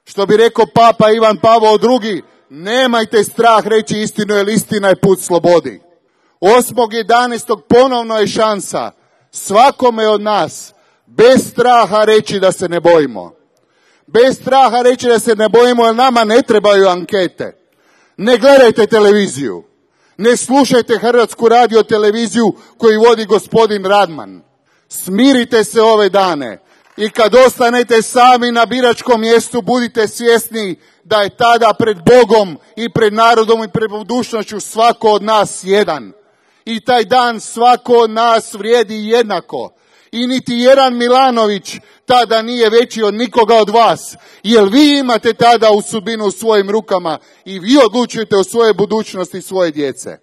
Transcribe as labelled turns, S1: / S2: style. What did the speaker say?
S1: Što bi rekao Papa Ivan Pavao II, nemajte strah reći istinu, jer istina je put slobodi. 8.11. ponovno je šansa svakome od nas bez straha reći da se ne bojimo. Bez straha reći da se ne bojimo, jer nama ne trebaju ankete. Ne gledajte televiziju. Ne slušajte Hrvatsku radioteleviziju koju vodi gospodin Radman. Smirite se ove dane i kad ostanete sami na biračkom mjestu, budite svjesni da je tada pred Bogom i pred narodom i pred budućnošću svako od nas jedan. I taj dan svako od nas vrijedi jednako. I niti jedan Milanović tada nije veći od nikoga od vas, jer vi imate tada u sudbinu u svojim rukama i vi odlučujete o svojoj budućnosti svoje djece.